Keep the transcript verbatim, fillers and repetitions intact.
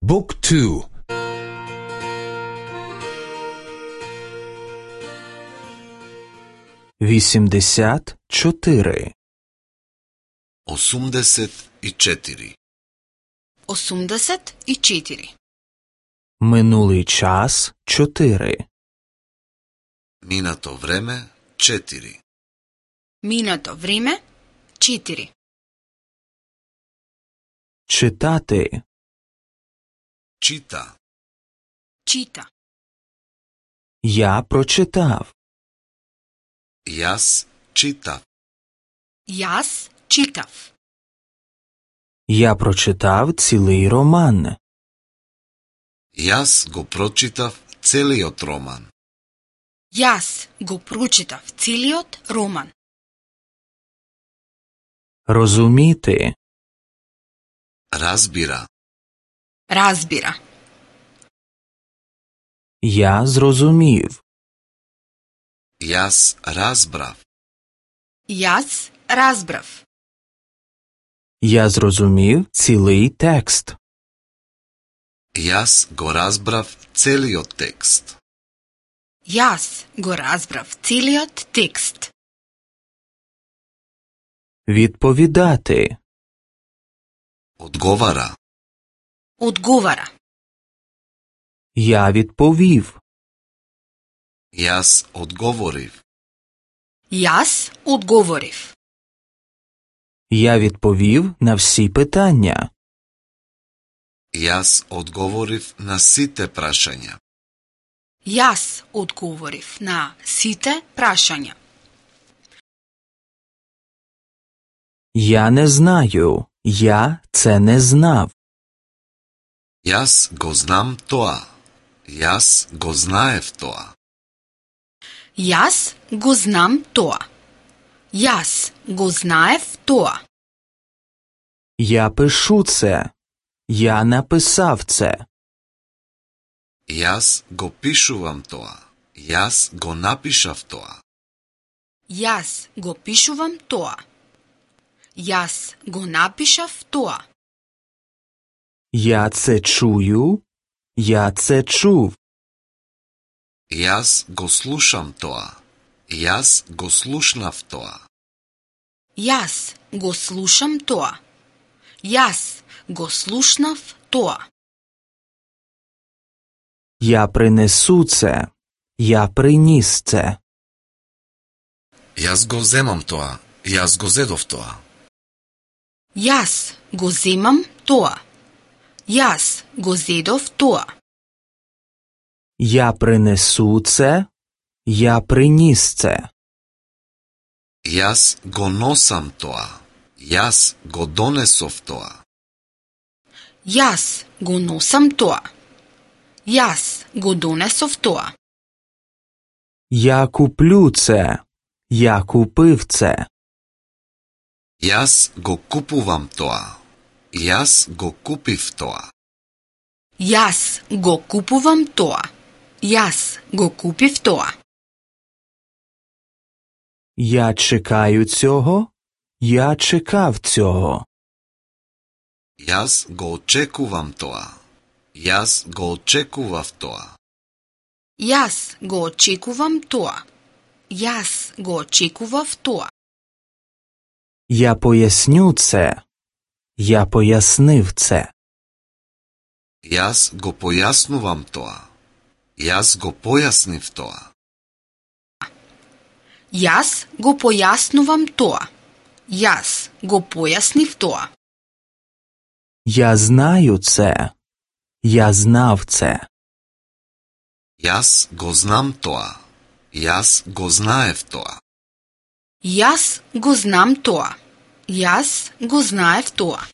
Book two. вісімдесят чотири. осумдесет и четири. осумдесет и четири. Минулий час чотири. Минато време четири. Минато време четири. Читати. Чита. Чита. Я прочитав. Јас читав. Јас читав. Я прочитав цілий роман. Јас го прочитав целиот роман. Јас го прочитав целиот роман. Розуміти. Разбира. Разбира. Я зрозумів. Јас разбрав. Јас разбрав. Я зрозумів цілий текст. Јас го разбрав целиот текст. Јас го разбрав целиот текст. Відповідати. Одговара. Одговара. Я відповів. Јас одговорив. Јас одговорив. Я відповів на всі питання. Јас одговорив на сите прашања. Јас одговорив на сите прашања. Я не знаю. Я це не знав. Јас го знам тоа. Јас го знаев тоа. Јас го знам тоа. Јас го знаев тоа. Я пишу це. Я написав це. Јас го пишувам тоа. Јас го напишав тоа. Јас го пишувам тоа. Јас го напишав тоа. Я це чую. Я це чув. Јас го слушам тоа. Јас го слушнав тоа. Јас го слушам тоа. Јас го слушнав тоа. Я принесу це. Я приніс це. Јас го земам тоа. Јас го зедов тоа. Јас го земам тоа. Јас го зедов тоа. Я принесу це. Я приніс це. Јас го носам тоа. Јас го донесов тоа. Јас го носам тоа. Јас го донесов тоа. Я куплю це. Я купив це. Јас го купувам тоа. Јас го купив тоа. Јас го купувам тоа. Јас го купив тоа. Я чекаю цього. Я чекав цього. Јас го очекувам тоа. Јас го очекував тоа. Јас го очекувам тоа. Јас го очекував тоа. Я поясню це. Я пояснив це. Јас го појаснувам тоа. Јас го појаснив тоа. Јас го појаснувам тоа. Јас го појаснив тоа. Я знаю це. Я знав це. Јас го знам тоа. Јас го знаев тоа. Јас го знам тоа. Јас го знаев тоа.